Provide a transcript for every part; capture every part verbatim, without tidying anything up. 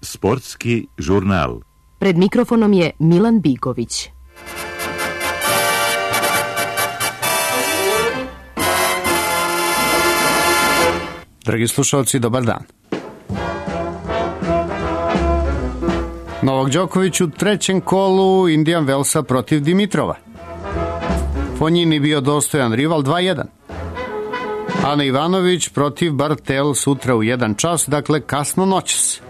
Sportski žurnal. Pred mikrofonom je Milan Bigović. Dragi slušalci, dobar dan. Novak Đoković u trećem kolu Indian Wellsa protiv Dimitrova. Fonjini bio dostojan rival dva jedan. Ana Ivanović protiv Bartel sutra u jedan čas, dakle kasno noćas.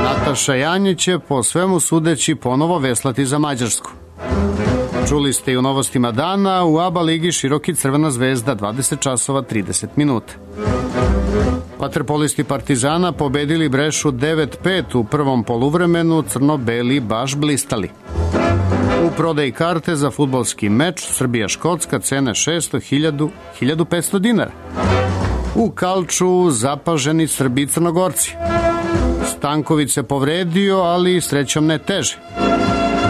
Nataša Janjić će po svemu sudeći ponovo veslati za Mađarsku. Čuli ste i u novostima dana, u ABA ligi Široki Crvena zvezda dvadeset časova trideset minuta. Vaterpolisti Partizana pobedili Brešu devet pet u prvom poluvremenu, crno-beli baš blistali. U prodaji karte za fudbalski meč Srbija-Škotska cene šesto, hiljadu, hiljadu petsto dinara. U Kalču zapaženi Srbi i Crnogorci. Stanković se povredio, ali srećom ne teže.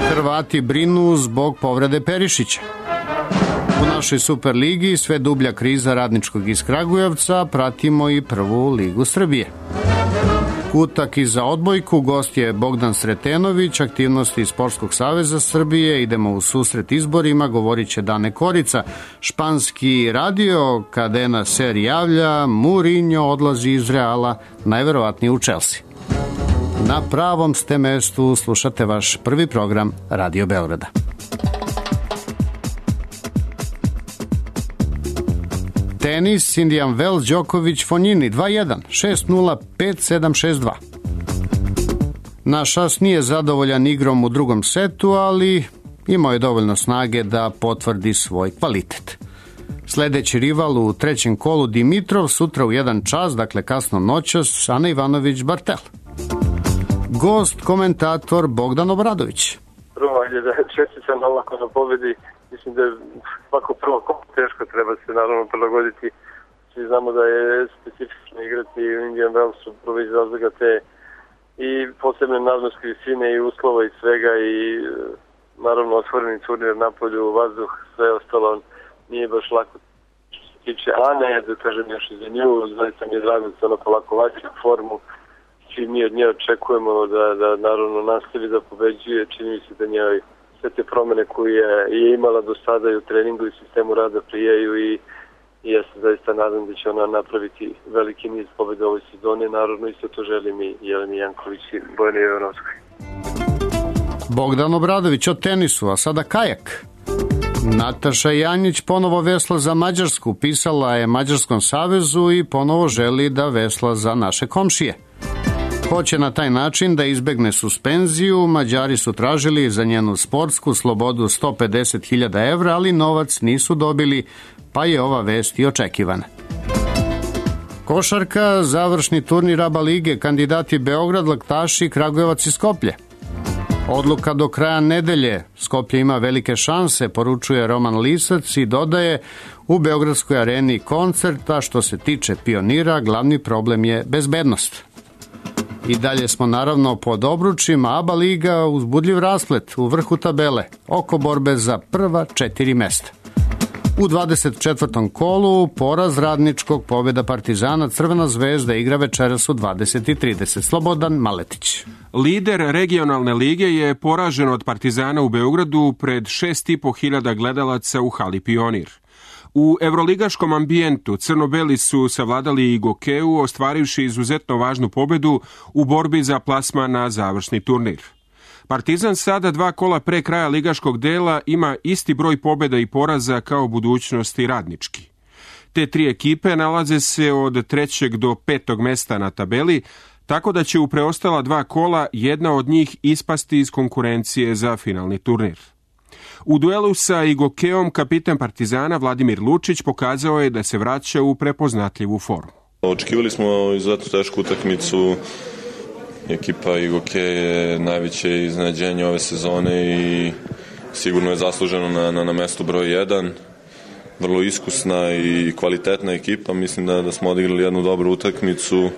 Hrvati brinu zbog povrede Perišića. U našoj Superligi sve dublja kriza Radničkog iz Kragujevca, pratimo i prvu ligu Srbije. Kutak i za odbojku, gost je Bogdan Sretenović, aktivnosti iz Sportskog saveza Srbije, idemo u susret izborima, govorit će Dane Korica, španski radio, Cadena Ser javlja, Mourinho odlazi iz Reala, najverovatnije u Chelsea. Na pravom ste mestu, slušate vaš prvi program Radio Beograda. Tenis, Indian Wells, Đoković, Fonjini, dva jedan, šest nula, pet sedam, šest dva. Naš as nije zadovoljan igrom u drugom setu, ali imao je dovoljno snage da potvrdi svoj kvalitet. Sledeći rival u trećem kolu Dimitrov, sutra u jedan čas, dakle kasno noćas, Ana Ivanović Bartel. Gost, komentator Bogdan Obradović. Prvo, ajde da čestitam olako na pobedi. Mislim da je svako prvo teško, treba se naravno prilagoditi. Svi znamo da je specifično igrati u Indian Wellsu, prvo iz razloga te i posebne nadmorske visine i uslova i svega i naravno otvoreni turnir na polju, vazduh, sve ostalo nije baš lako. Što se tiče Ane, da kažem još i za nju, zaista mi je drago da se ona polako vađe u formu. Svi mi od nje očekujemo da, da naravno nastavi da pobeđuje, čini mi se da njoj sve te promene koje je, je imala do sada i u treningu i sistemu rada prijeju i, i ja se zaista nadam da će ona napraviti veliki niz pobjeda ovoj sezoni, naravno isto to želim i Jeleni Janković i Bojani Jovanovskoj. Bogdan Obradović o tenisu, a sada kajak. Nataša Janjić ponovo vesla za Mađarsku, pisala je Mađarskom savezu i ponovo želi da vesla za naše komšije. Hoće na taj način da izbegne suspenziju, Mađari su tražili za njenu sportsku slobodu sto pedeset hiljada evra, ali novac nisu dobili, pa je ova vest i očekivana. Košarka, završni turnir ABA lige, kandidati Beograd, Laktaši, Kragujevac i Skoplje. Odluka do kraja nedelje, Skoplje ima velike šanse, poručuje Roman Lisac i dodaje u Beogradskoj areni koncerta, što se tiče Pionira, glavni problem je bezbednost. I dalje smo naravno pod obručima, ABA liga uzbudljiv rasplet u vrhu tabele, oko borbe za prva četiri mesta. U dvadeset četvrtom kolu poraz Radničkog, pobjeda Partizana, Crvena zvezda igra večeras u dvadeset i trideset. Slobodan Maletić. Lider regionalne lige je poražen od Partizana u Beogradu pred šest i po hiljada gledalaca u hali Pionir. U evroligaškom ambijentu crno-beli su savladali i Gokeu, ostvarivši izuzetno važnu pobedu u borbi za plasman na završni turnir. Partizan sada dva kola pre kraja ligaškog dela ima isti broj pobjeda i poraza kao Budućnost i Radnički. Te tri ekipe nalaze se od trećeg do petog mesta na tabeli, tako da će u preostala dva kola jedna od njih ispasti iz konkurencije za finalni turnir. U duelu sa Igokeom kapitan Partizana Vladimir Lučić pokazao je da se vraća u prepoznatljivu formu. Očekivali smo izuzetno tešku utakmicu. Ekipa Igoke je najveće iznenađenje ove sezone i sigurno je zasluženo na, na, na mestu broj jedan. Vrlo iskusna i kvalitetna ekipa. Mislim da, da smo odigrali jednu dobru utakmicu.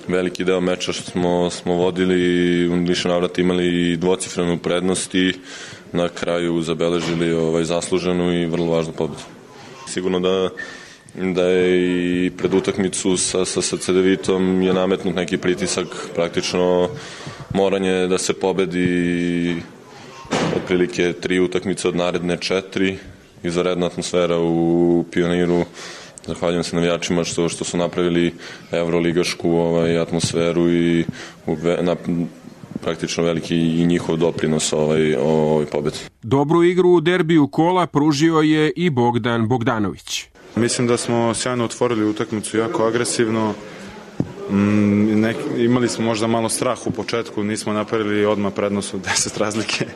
Veliki deo meča što smo, smo vodili i u više navrata imali dvocifrenu prednost i na kraju zabeležili ovaj, zasluženu i vrlo važnu pobedu. Sigurno da da je i pred utakmicu sa, sa, sa Cedevitom je nametnut neki pritisak, praktično moranje da se pobedi otprilike tri utakmice od naredne četiri, izvanredna atmosfera u Pioniru. Zahvaljujem se navijačima što, što su napravili evroligašku ovaj, atmosferu i u, na, praktično veliki i njihov doprinos ovaj, ovoj pobedi. Dobru igru u derbiju kola pružio je i Bogdan Bogdanović. Mislim da smo sjajno otvorili utakmicu, jako agresivno. Mm, nek, imali smo možda malo strah u početku, nismo napravili odmah prednost od deset razlike.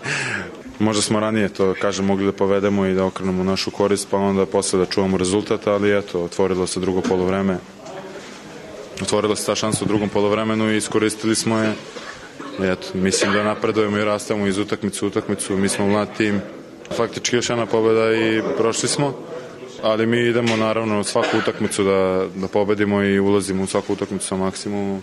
Možda smo ranije to, kažem, mogli da povedemo i da okrenemo našu korist, pa onda posle da čuvamo rezultat, ali eto, otvorilo se drugo polovreme. Otvorila se ta šansa u drugom polovremenu i iskoristili smo je. Eto, mislim da napredujemo i rastemo iz utakmicu u utakmicu, mi smo mlad tim. Faktički još jedna pobeda i prošli smo, ali mi idemo naravno svaku utakmicu da, da pobedimo i ulazimo u svaku utakmicu sa maksimumom,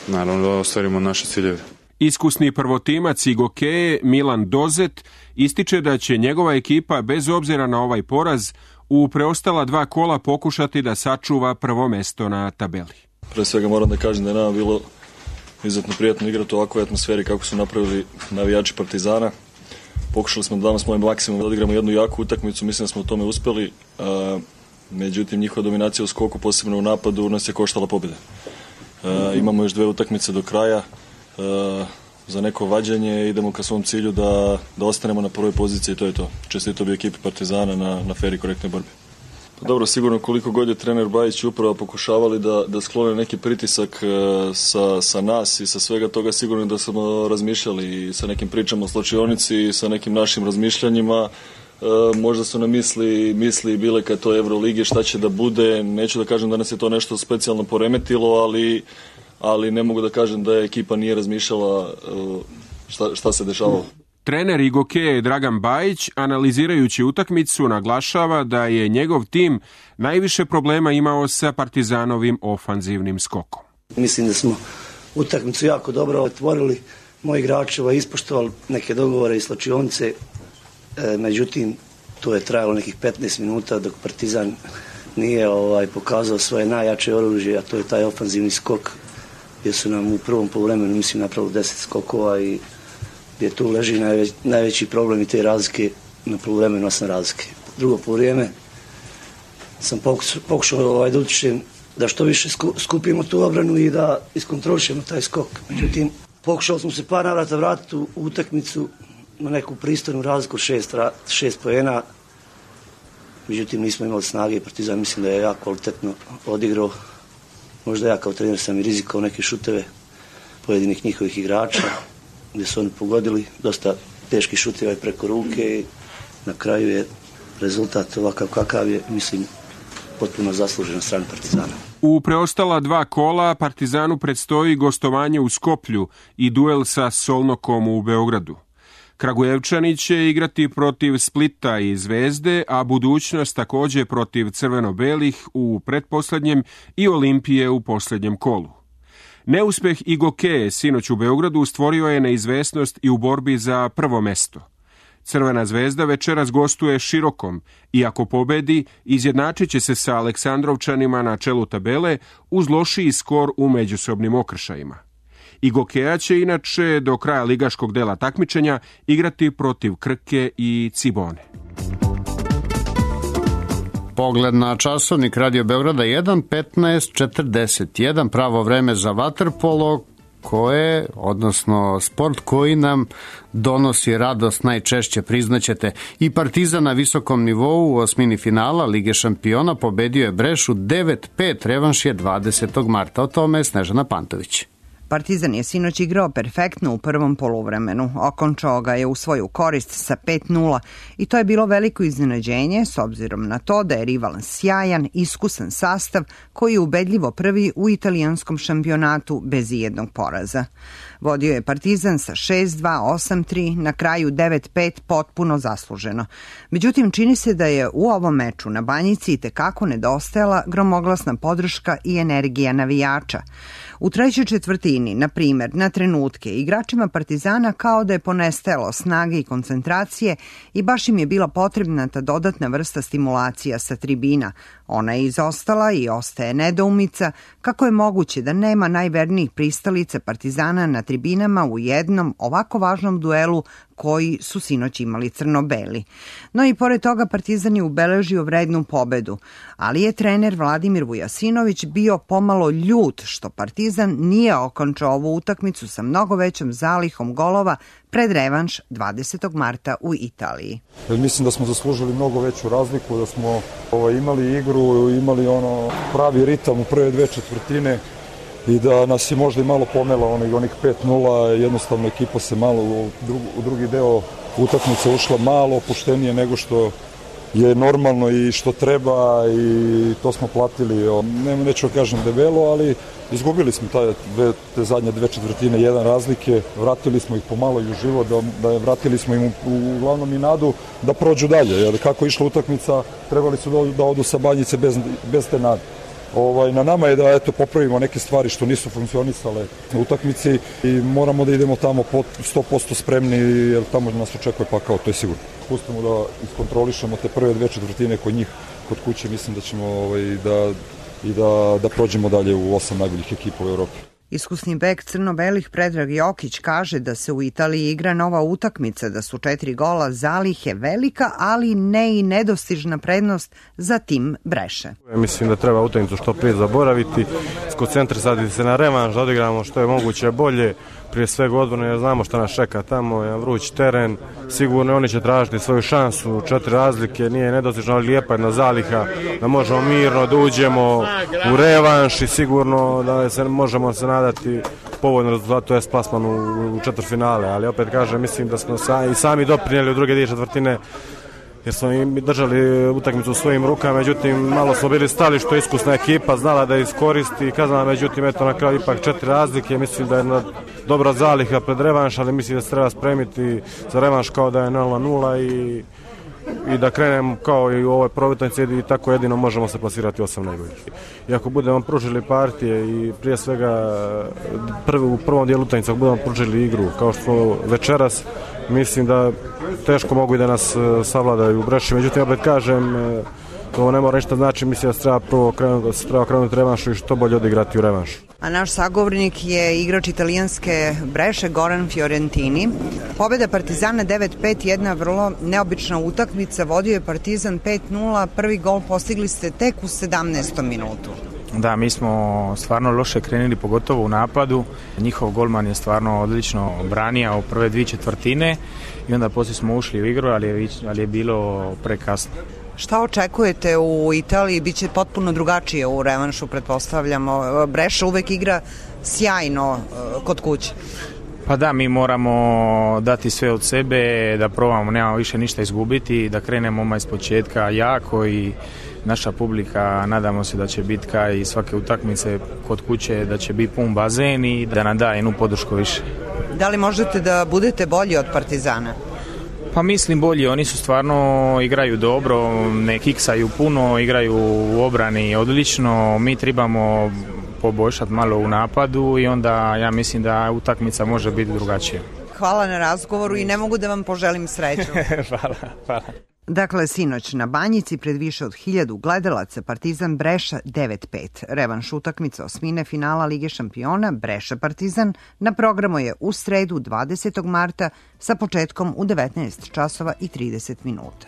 naravno da ostvarimo naše ciljeve. Iskusni prvotimac i gokeje Milan Dozet ističe da će njegova ekipa bez obzira na ovaj poraz u preostala dva kola pokušati da sačuva prvo mesto na tabeli. Pre svega moram da kažem da je nama bilo izuzetno prijatno igrati u ovakvoj atmosferi kako su napravili navijači Partizana. Pokušali smo da damo svoj maksimum da odigramo jednu jaku utakmicu, mislim da smo u tome uspeli. A, međutim, njihova dominacija u skoku, posebno u napadu, nas je koštala pobjede. A, imamo još dve utakmice do kraja. A, za neko vađanje idemo ka svom cilju da, da ostanemo na prvoj poziciji i to je to. Čestito bi ekipi Partizana na, na fer i korektnoj borbi. Pa dobro, sigurno koliko god je trener Bajić upravo pokušavali da, da sklone neki pritisak sa, sa nas i sa svega toga, sigurno da smo razmišljali sa nekim pričama o slačionici, sa nekim našim razmišljanjima. E, možda su nam misli, misli bile kad to je Euroligi, šta će da bude. Neću da kažem da nas je to nešto specijalno poremetilo, ali, ali ne mogu da kažem da je ekipa nije razmišljala šta, šta se dešavalo. Trener i gokeje Dragan Bajić, analizirajući utakmicu, naglašava da je njegov tim najviše problema imao sa Partizanovim ofanzivnim skokom. Mislim da smo utakmicu jako dobro otvorili, moji igrači ispoštovali neke dogovore i slačionice, e, međutim to je trajalo nekih petnaest minuta dok Partizan nije ovaj, pokazao svoje najjače oružje, a to je taj ofanzivni skok, gdje su nam u prvom poluvremenu mislim napravili deset skokova i gdje tu leži najveć, najveći problem i te razlike na poluvremenu osam razlike. Drugo poluvrijeme sam pokušao, pokušao ovaj, da utičem da što više sku, skupimo tu obranu i da iskontrolišemo taj skok. Međutim, pokušao smo se par navrata vratiti u utakmicu na neku pristojnu razliku šest, šest poena. Međutim, nismo imali snage i Partizan mislim da je jako kvalitetno odigrao. Možda ja kao trener sam i rizikao neke šuteve pojedinih njihovih igrača, gdje su oni pogodili dosta teški šuteva preko ruke i na kraju je rezultat ovakav kakav je, mislim, potpuno zaslužen na strani Partizana. U preostala dva kola Partizanu predstoji gostovanje u Skoplju i duel sa Solnokom u Beogradu. Kragujevčani će igrati protiv Splita i Zvezde, a budućnost također protiv crveno-belih u pretposlednjem i Olimpije u posljednjem kolu. Neuspeh i gokeje sinoć u Beogradu stvorio je neizvesnost i u borbi za prvo mesto. Crvena zvezda večeras gostuje Širokom i ako pobedi, izjednačit će se sa Aleksandrovčanima na čelu tabele uz lošiji skor u međusobnim okršajima. I gokeja će inače do kraja ligaškog dela takmičenja igrati protiv Krke i Cibone. Pogled na časovnik Radio Beograda jedan petnaest četrdeset jedan, pravo vreme za vaterpolo koje, odnosno sport koji nam donosi radost najčešće, priznaćete. I Partizan na visokom nivou u osmini finala Lige šampiona pobedio je Brešu devet pet, revanš je dvadesetog marta. O tome je Snežana Pantović. Partizan je sinoć igrao perfektno u prvom poluvremenu, okončao ga je u svoju korist sa pet nula i to je bilo veliko iznenađenje s obzirom na to da je rival sjajan, iskusan sastav koji je ubedljivo prvi u italijanskom šampionatu bez ijednog poraza. Vodio je Partizan sa šest dva, osam tri, na kraju devet pet potpuno zasluženo. Međutim, čini se da je u ovom meču na Banjici itekako nedostajala gromoglasna podrška i energija navijača. U trećoj četvrtini, na primjer, na trenutke, igračima Partizana kao da je ponestalo snage i koncentracije i baš im je bila potrebna ta dodatna vrsta stimulacija sa tribina. Ona je izostala i ostaje nedoumica kako je moguće da nema najvernijih pristalica Partizana na tribinama u jednom ovako važnom duelu koji su sinoć imali crno-beli. No i pored toga Partizan je ubeležio vrednu pobedu, ali je trener Vladimir Vujasinović bio pomalo ljut što Partizan nije okončao ovu utakmicu sa mnogo većom zalihom golova pred revanš dvadesetog marta u Italiji. Mislim da smo zaslužili mnogo veću razliku, da smo ovaj, imali igru, imali ono pravi ritam u prve dve četvrtine i da nas je možda i malo pomela onih, onih pet nula, jednostavno ekipa se malo u, drugi, u drugi deo utakmice ušla malo opuštenije nego što je normalno i što treba i to smo platili, ne, neću kažem debelo, ali izgubili smo taj, dve, te zadnje dve četvrtine, jedan razlike, vratili smo ih pomalo i u život, da, da vratili smo im u, u, uglavnom i nadu da prođu dalje, jer kako je išla utakmica, trebali su da, da odu sa Banjice bez, bez te nade. Ovaj, na nama je da eto, popravimo neke stvari što nisu funkcionisale u utakmici i moramo da idemo tamo sto posto spremni jer tamo nas očekuje pakao, to je sigurno. Pustimo da iskontrolišemo te prve dve četvrtine kod njih, kod kuće, mislim da ćemo ovaj, da, i da, da prođemo dalje u osam najboljih ekipa u Evropi. Iskusni bek crno-belih Predrag Jokić kaže da se u Italiji igra nova utakmica, da su četiri gola zalihe velika, ali ne i nedostižna prednost za tim Breše. Mislim da treba utakmicu što prije zaboraviti, skoncentrisati se na revanš, da odigramo što je moguće bolje, prije svega odbrane, jer znamo šta nas čeka tamo, je vruć teren, sigurno oni će tražiti svoju šansu, četiri razlike, nije nedostižno, ali lijepa jedna zaliha, da možemo mirno da uđemo u revanš i sigurno da se možemo se nadati povoljno rezultatu, to je plasman u, u četvrtfinale, ali opet kažem, mislim da smo sa, i sami doprinijeli u druge dvije četvrtine, jer smo im držali utakmicu u svojim rukama, međutim malo smo bili stali što je iskusna ekipa, znala da iskoristi, kazala, međutim eto na kraju ipak četiri razlike, mislim da je jedna dobra zaliha pred revanš, ali mislim da se treba spremiti za revanš kao da je nula nula i, i da krenemo kao i u ovoj provitanci i tako jedino možemo se plasirati osam najboljih. I ako budemo pružili partije i prije svega prvi, u prvom dijelu utakmice ako budemo pružili igru kao što večeras, mislim da teško mogu i da nas savladaju u Breši, međutim opet kažem, to ne mora ništa znači, mislim da se treba prvo krenuti, da se treba krenuti revanšu i što bolje odigrati u revanšu. A naš sagovornik je igrač italijanske Breše Goran Fiorentini. Pobjeda Partizana devet pet, jedna vrlo neobična utakmica, vodio je Partizan pet nula, prvi gol postigli ste tek u sedamnaestom minutu. Da, mi smo stvarno loše krenuli, pogotovo u napadu. Njihov golman je stvarno odlično branio u prve dvije četvrtine i onda poslije smo ušli u igru, ali je, ali je bilo prekasno. Šta očekujete u Italiji? Biće potpuno drugačije u revanšu, pretpostavljamo. Breša uvek igra sjajno kod kuće. Pa da, mi moramo dati sve od sebe, da probamo, nemamo više ništa izgubiti, da krenemo odmah iz početka jako i naša publika, nadamo se da će biti kao i svake utakmice kod kuće, da će biti pun bazen i da nam da jednu podršku više. Da li možete da budete bolji od Partizana? Pa mislim bolji, oni su stvarno igraju dobro, ne kiksaju puno, igraju u obrani odlično, mi trebamo poboljšati malo u napadu i onda ja mislim da utakmica može biti drugačija. Hvala na razgovoru i ne mogu da vam poželim sreću. Hvala, hvala. Dakle, sinoć na Banjici pred više od hiljadu gledalaca Partizan Breša devet pet. Revanš utakmica osmine finala Lige šampiona Breša Partizan na programu je u sredu dvadesetog marta sa početkom u devetnaest časova i trideset minuta.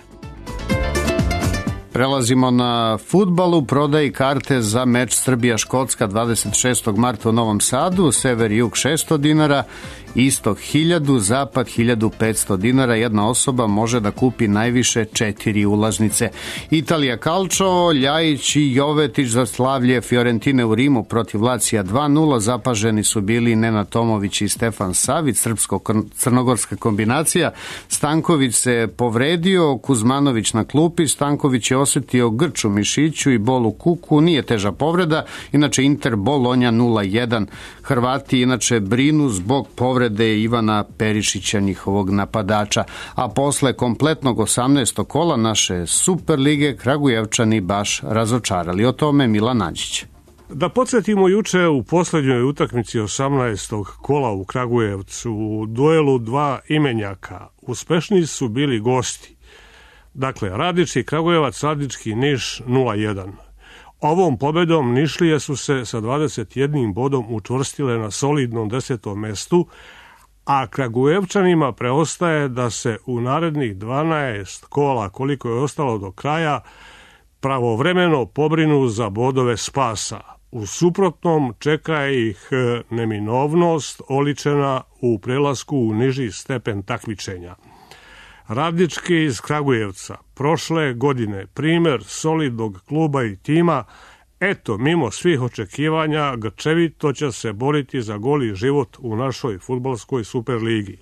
Prelazimo na fudbal. U prodaji karte za meč Srbija-Škotska dvadeset šestog marta u Novom Sadu, sever i jug šesto dinara, istok hiljadu, zapad hiljadu petsto dinara. Jedna osoba može da kupi najviše četiri ulaznice. Italija Calcio, Ljajić i Jovetić za slavlje Fiorentine u Rimu protiv Lacija dva nula. Zapaženi su bili Nenad Tomović i Stefan Savić, srpsko-crnogorska kombinacija. Stanković se povredio, Kuzmanović na klupi, Stanković je osetio grč u mišiću i bol u kuku, nije teža povreda. Inače Inter Bolonja nula jedan. Hrvati inače brinu zbog povrede Ivana Perišića, njihovog napadača. A posle kompletnog osamnaestog kola naše Super lige Kragujevčani baš razočarali. O tome Milan Nađić. Da podsjetimo, juče u posljednjoj utakmici osamnaestog kola u Kragujevcu u duelu dva imenjaka uspešniji su bili gosti. Dakle, Radnički Kragujevac, Radnički Niš nula jedan. Ovom pobedom Nišlije su se sa dvadeset jednim bodom učvrstile na solidnom desetom mestu, a Kragujevčanima preostaje da se u narednih dvanaest kola, koliko je ostalo do kraja, pravovremeno pobrinu za bodove spasa. U suprotnom čeka ih neminovnost oličena u prelasku u niži stepen takmičenja. Radnički iz Kragujevca prošle godine primjer solidnog kluba i tima, eto, mimo svih očekivanja, grčevito će se boriti za goli život u našoj fudbalskoj superligi.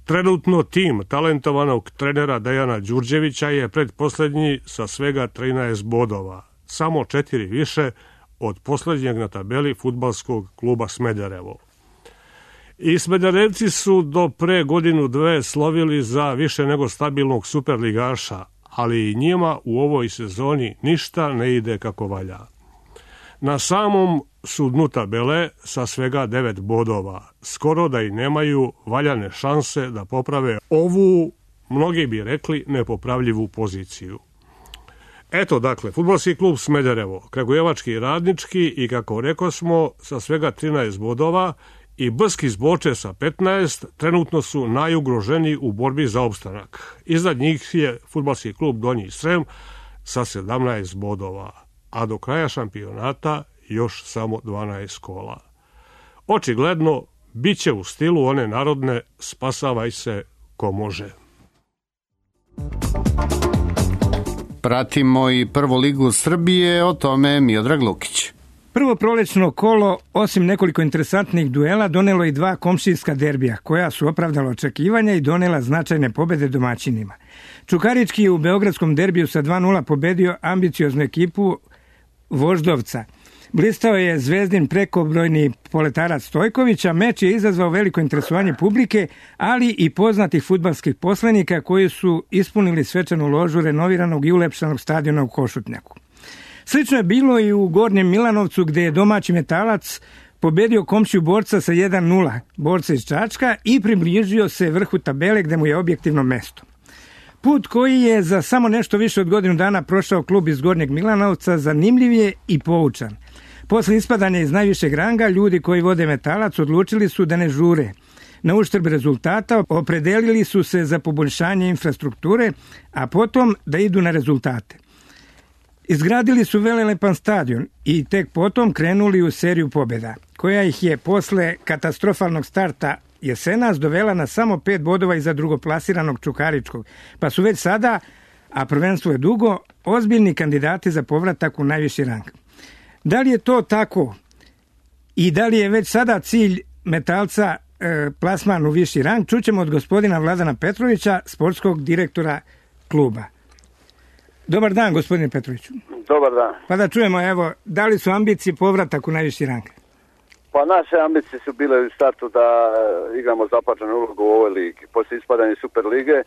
Trenutno tim talentovanog trenera Dejana Đurđevića je predposlednji sa svega trinaest bodova, samo četiri više od posljednjeg na tabeli fudbalskog kluba Smederevo. I Smederevci su do pre godinu dve slovili za više nego stabilnog superligaša, ali i njima u ovoj sezoni ništa ne ide kako valja. Na samom su dnu tabele sa svega devet bodova, skoro da i nemaju valjane šanse da poprave ovu, mnogi bi rekli, nepopravljivu poziciju. Eto, dakle, fudbalski klub Smederevo, Kragujevački i Radnički i, kako rekosmo, sa svega trinaest bodova i Brski Zboče sa petnaest trenutno su najugroženiji u borbi za opstanak. Iznad njih je fudbalski klub Donji Srem sa sedamnaest bodova, a do kraja šampionata još samo dvanaest kola. Očigledno, bit će u stilu one narodne spasavaj se ko može. Pratimo i prvu ligu Srbije, o tome Miodrag Lukić. Prvo prolećno kolo, osim nekoliko interesantnih duela, donelo i dva komšijska derbija, koja su opravdala očekivanja i donela značajne pobede domaćinima. Čukarički je u beogradskom derbiju sa dva nula pobedio ambicioznu ekipu Voždovca. Blistao je Zvezdin prekobrojni poletarac Stojkovića, meč je izazvao veliko interesovanje publike, ali i poznatih fudbalskih poslenika koji su ispunili svečanu ložu renoviranog i ulepšanog stadiona u Košutnjaku. Slično je bilo i u Gornjem Milanovcu, gde je domaći Metalac pobedio komšiju Borca sa jedan nula, Borca iz Čačka, i približio se vrhu tabele gde mu je objektivno mesto. Put koji je za samo nešto više od godinu dana prošao klub iz Gornjeg Milanovca zanimljiv je i poučan. Posle ispadanja iz najvišeg ranga, ljudi koji vode Metalac odlučili su da ne žure. Na uštrb rezultata opredelili su se za poboljšanje infrastrukture, a potom da idu na rezultate. Izgradili su velelepan stadion i tek potom krenuli u seriju pobjeda, koja ih je posle katastrofalnog starta jesenas dovela na samo pet bodova iza drugoplasiranog Čukaričkog, pa su već sada, a prvenstvo je dugo, ozbiljni kandidati za povratak u najviši rang. Da li je to tako i da li je već sada cilj Metalca e, plasman u viši rang, čućemo od gospodina Vladana Petrovića, sportskog direktora kluba. Dobar dan, gospodine Petroviću. Dobar dan. Pa da čujemo, evo, da li su ambicije povratak u najviši rang? Pa naše ambicije su bile u startu da igramo zapaženu ulogu u ovoj ligi. Poslije ispadanja Super lige,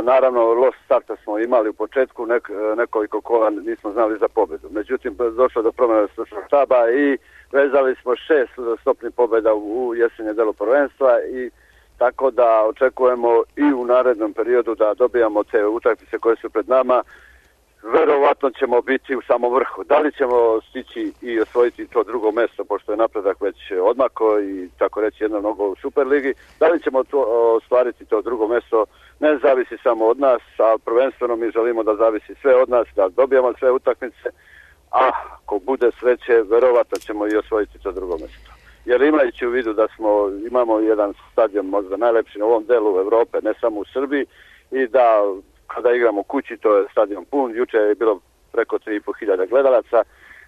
naravno, loš starta smo imali u početku, nek, nekoliko kola nismo znali za pobjedu. Međutim, došlo do promjena stručnog štaba i vezali smo šest stopnih pobjeda u jesenje delu prvenstva i tako da očekujemo i u narednom periodu da dobijamo te utakmice koje su pred nama. Verovatno ćemo biti u samom vrhu. Da li ćemo stići i osvojiti to drugo mjesto, pošto je napredak već odmako i tako reći jedno mnogo u Superligi, da li ćemo to ostvariti to drugo mjesto, ne zavisi samo od nas, a prvenstveno mi želimo da zavisi sve od nas, da dobijemo sve utakmice, a ako bude sreće, verovatno ćemo i osvojiti to drugo mjesto. Jer imajući u vidu da smo, imamo jedan stadion možda najlepši na ovom delu Evrope, ne samo u Srbiji, i da kada igramo kući, to je stadion pun, juče je bilo preko tri i po hiljade gledalaca,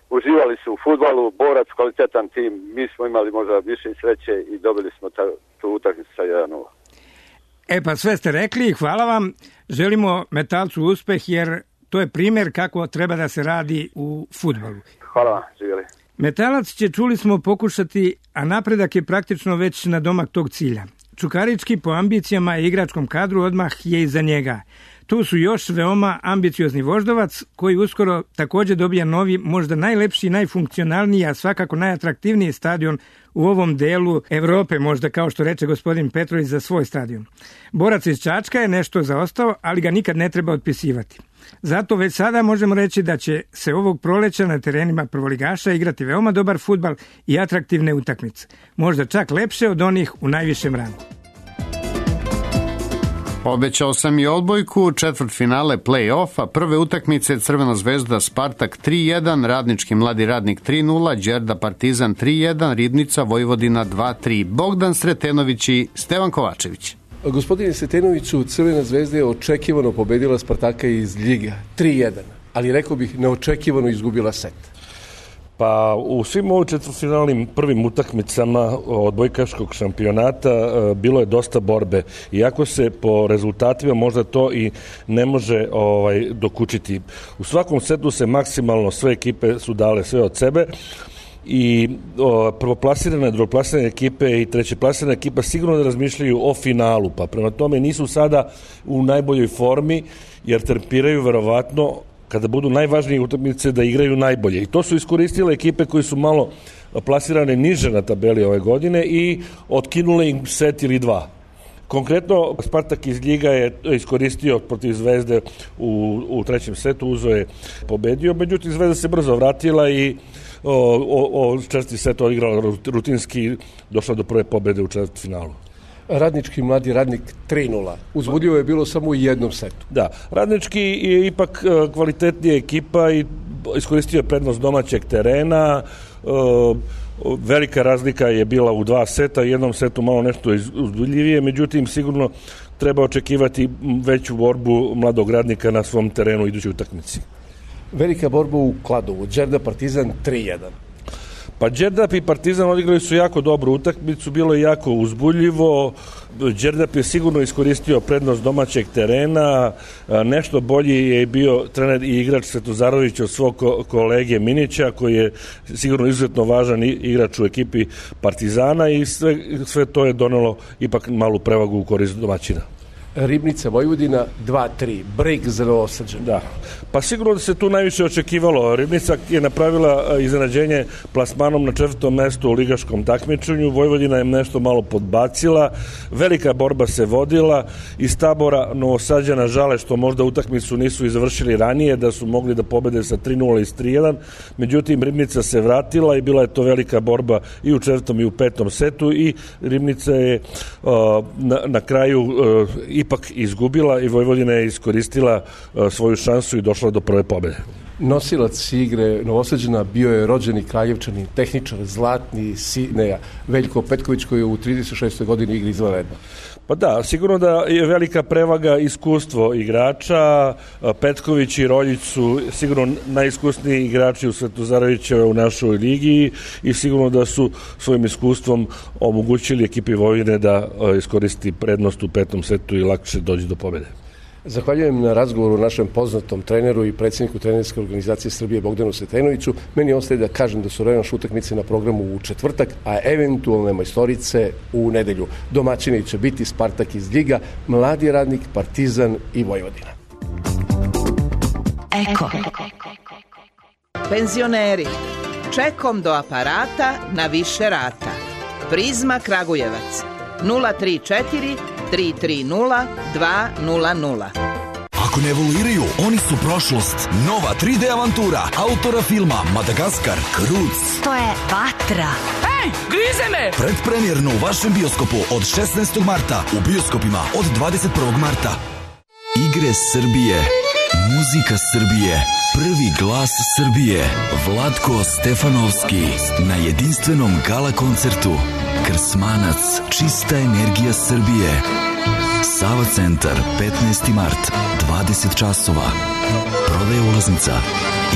uživali su u fudbalu, Borac, kvalitetan tim, mi smo imali možda više sreće i dobili smo ta, tu utakmicu sa jedan nula. E pa sve ste rekli, hvala vam, želimo Metalcu uspeh jer to je primjer kako treba da se radi u fudbalu. Hvala vam, živjeli. Metalac će, čuli smo, pokušati, a napredak je praktično već na domak tog cilja. Čukarički po ambicijama i igračkom kadru odmah je iza njega. tu su još veoma ambiciozni Voždovac, koji uskoro također dobija novi, možda najlepši, najfunkcionalniji, a svakako najatraktivniji stadion u ovom delu Evrope, možda kao što reče gospodin Petrović za svoj stadion. Borac iz Čačka je nešto zaostao, ali ga nikad ne treba otpisivati. Zato već sada možemo reći da će se ovog proleća na terenima prvoligaša igrati veoma dobar fudbal i atraktivne utakmice. Možda čak lepše od onih u najvišem rangu. Obećao sam i odbojku, četvrtfinale play-offa, prve utakmice Crvena zvezda Spartak tri jedan, Radnički Mladi Radnik tri nula, Đerda Partizan tri jedan, Ribnica Vojvodina dva tri. Bogdan Sretenović i Stevan Kovačević. Gospodine Sretenoviću, Crvena zvezda je očekivano pobedila Spartaka iz Ljiga tri jedan, ali rekao bih neočekivano izgubila set. Pa u svim ovim četvrtfinalnim prvim utakmicama odbojkaškog šampionata bilo je dosta borbe. Iako se po rezultatima možda to i ne može ovaj, dokučiti. U svakom setu se maksimalno sve ekipe su dale sve od sebe i o, prvoplasirane, drugoplasirane ekipe i trećeplasirane ekipa sigurno da razmišljaju o finalu, pa prema tome nisu sada u najboljoj formi jer trpiraju verovatno kada budu najvažnije utakmice da igraju najbolje. I to su iskoristile ekipe koji su malo plasirane niže na tabeli ove godine i otkinule im set ili dva. Konkretno, Spartak iz Ljiga je iskoristio protiv Zvezde u, u trećem setu, uzo je pobedio, međutim Zvezda se brzo vratila i o, o, o četvrti set odigrala rutinski, došla do prve pobede u četvrtfinalu. Radnički Mladi Radnik tri nula. Uzbudljivo je bilo samo u jednom setu. Da, Radnički je ipak kvalitetnija ekipa i iskoristio prednost domaćeg terena. Velika razlika je bila u dva seta, u jednom setu malo nešto uzbudljivije, međutim sigurno treba očekivati veću borbu Mladog Radnika na svom terenu u idućoj utakmici. Velika borba u Kladovu, Đerda Partizan tri jedan. Pa Đerdap i Partizan odigrali su jako dobru utakmicu, bilo je jako uzbudljivo, Đerdap je sigurno iskoristio prednost domaćeg terena, nešto bolji je bio trener i igrač Svetozarović od svog kolege Minića, koji je sigurno izuzetno važan igrač u ekipi Partizana i sve, sve to je donelo ipak malu prevagu u korist domaćina. Ribnica Vojvodina dva tri, break za Novosađane. Da, pa sigurno da se tu najviše očekivalo. Ribnica je napravila iznenađenje plasmanom na četvrtom mestu u ligaškom takmičenju, Vojvodina je nešto malo podbacila, velika borba se vodila, iz tabora Novosađana žale što možda utakmicu nisu i završili ranije, da su mogli da pobede sa tri nula i tri jedan, međutim Ribnica se vratila i bila je to velika borba i u četvrtom i u petom setu i Ribnica je uh, na, na kraju uh, ipak izgubila i Vojvodina je iskoristila uh, svoju šansu i došla do prve pobede. Nosilac igre Novosađana bio je rođeni Kraljevčanin, tehničar, zlatni Sineja, Veljko Petković, koji je u trideset šestoj godini igri izvanredno. Pa da, sigurno da je velika prevaga iskustvo igrača. Petković i Roljić su sigurno najiskusniji igrači u Svetozarovića u našoj ligi i sigurno da su svojim iskustvom omogućili ekipi Vojvodine da iskoristi prednost u petom setu i lakše dođe do pobjede. Zahvaljujem na razgovoru našem poznatom treneru i predsjedniku trenerske organizacije Srbije Bogdanu Sretenoviću. Meni ostaje da kažem da su revanš utakmice na programu u četvrtak, a eventualne majstorice u nedelju. Domaćini će biti Spartak iz Ljiga, Mladi Radnik, Partizan i Vojvodina. Eko. Penzioneri, čekom do aparata na više rata. Prizma Kragujevac nula tri četiri tri tri nula dva nula nula. Ako ne evoluiraju, oni su prošlost. Nova tri de avantura autora filma Madagaskar, Kruc. To je vatra. Ej, grize me! Predpremjerno u vašem bioskopu od šesnaestog marta, u bioskopima od dvadeset prvog marta. Igre Srbije, muzika Srbije, prvi glas Srbije, Vlatko Stefanovski na jedinstvenom gala koncertu. Krsmanac, čista energija Srbije. Sava centar, petnaesti mart, dvadeset časova. Prodaje ulaznica,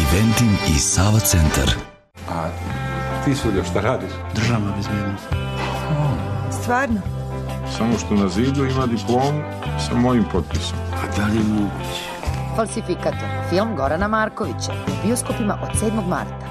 Eventim i Sava centar. A ti Suljo, šta radiš? Državna bezbednost. Stvarno? Samo što na zidu ima diplomu sa mojim potpisom. A da li je moguće? Falsifikator. Film Gorana Markovića. U bioskopima od sedmog marta.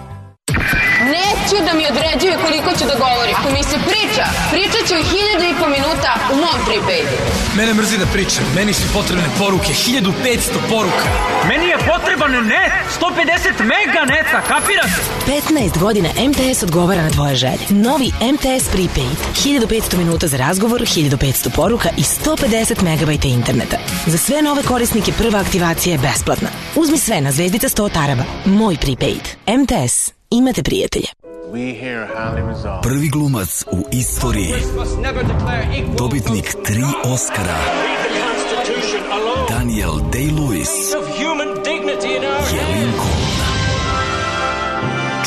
Neće da mi određuje koliko ću da govorim. Ako mi se priča, pričat ću i hiljadu i po minuta u mom prepaydu. Mene mrzi da pričam. Meni su potrebne poruke. hiljadu petsto poruka. Meni je potreban net. sto pedeset mega neta. Kapirate? petnaest godina M T S odgovara na tvoje želje. Novi M T S prepaid. hiljadu petsto minuta za razgovor, hiljadu petsto poruka i sto pedeset megabajta interneta. Za sve nove korisnike prva aktivacija je besplatna. Uzmi sve na zvezdica sto taraba. Moj prepaid. M T S. Imate prijatelje. Prvi glumac u istoriji, dobitnik tri Oscara, Daniel Day-Lewis je Lincoln.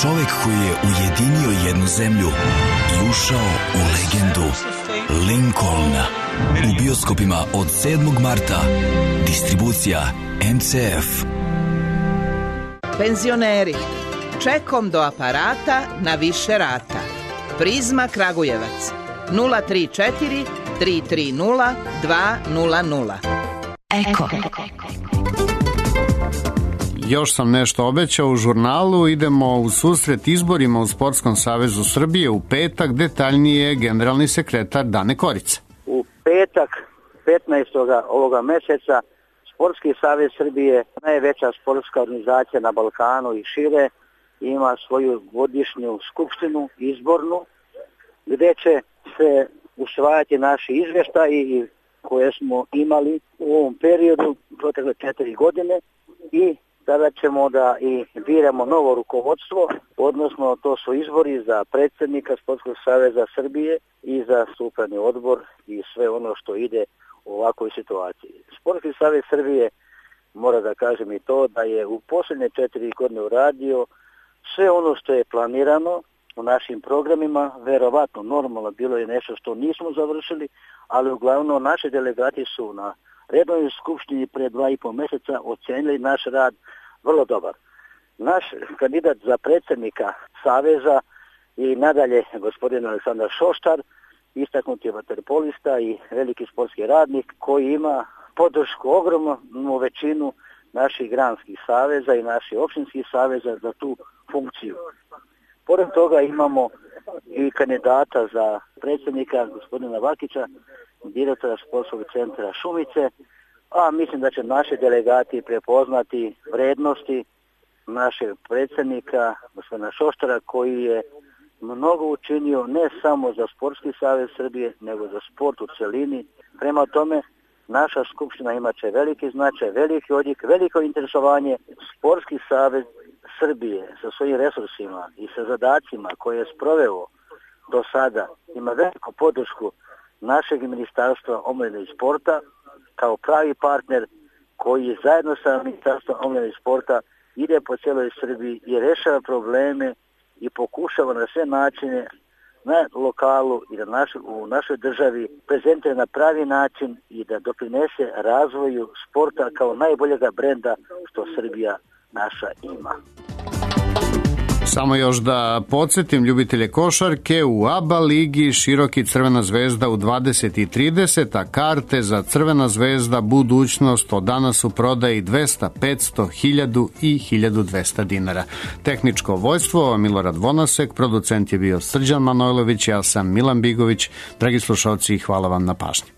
Čovek koji je ujedinio jednu zemlju i ušao u legendu. Lincoln. U bioskopima od sedmog marta. Distribucija M C F. Penzioneri. Čekom do aparata na više rata. Prizma Kragujevac. nula tri četiri tri tri nula dva nula nula. Eko. Još sam nešto obećao u žurnalu, idemo u susret izborima u Sportskom savezu Srbije u petak, detaljnije generalni sekretar Dane Korica. U petak petnaestog ovoga meseca Sportski savez Srbije, najveća sportska organizacija na Balkanu i šire, ima svoju godišnju skupštinu izbornu gdje će se usvajati naši izvještaji koje smo imali u ovom periodu protekle četiri godine i tada ćemo da i biramo novo rukovodstvo, odnosno to su izbori za predsjednika Sportskog saveza Srbije i za upravni odbor i sve ono što ide u ovakvoj situaciji. Sportski savez Srbije, mora da kažem i to, da je u posljednje četiri godine uradio sve ono što je planirano u našim programima, verovatno normalno bilo je nešto što nismo završili, ali uglavnom naše delegati su na redovnoj skupštini pre dva i po mjeseca ocenili naš rad vrlo dobar. Naš kandidat za predsjednika Saveza je i nadalje gospodin Aleksandar Šoštar, istaknuti vaterpolista i veliki sportski radnik koji ima podršku ogromnu većinu naših granskih saveza i naših općinskih saveza za tu funkciju. Pored toga imamo i kandidata za predsjednika gospodina Vakića, direktora sportskog centra Šumice, a mislim da će naši delegati prepoznati vrednosti našeg predsjednika gospodina Šoštara koji je mnogo učinio ne samo za Sportski savez Srbije, nego za sport u celini. Prema tome, naša skupština imaće veliki značaj, veliki odjek, veliko interesovanje. Sportski savez Srbije sa svojim resursima i sa zadacima koje je sproveo do sada ima veliku podršku našeg ministarstva omladine i sporta kao pravi partner koji zajedno sa ministarstvom omladine i sporta ide po cijeloj Srbiji i rešava probleme i pokušava na sve načine na lokalu i na naš, u našoj državi prezentuje na pravi način i da doprinese razvoju sporta kao najboljega brenda što Srbija naša ima. Samo još da podsjetim ljubitelje košarke, u A B A ligi Široki Crvena zvezda u dvadeset i trideset, a karte za Crvena zvezda budućnost od danas u prodaji dvesta, petsto, hiljadu i hiljadu dvesta dinara. Tehničko vojstvo Milorad Vonasek, producent je bio Srđan Manojlović, ja sam Milan Bigović. Dragi slušalci, hvala vam na pažnji.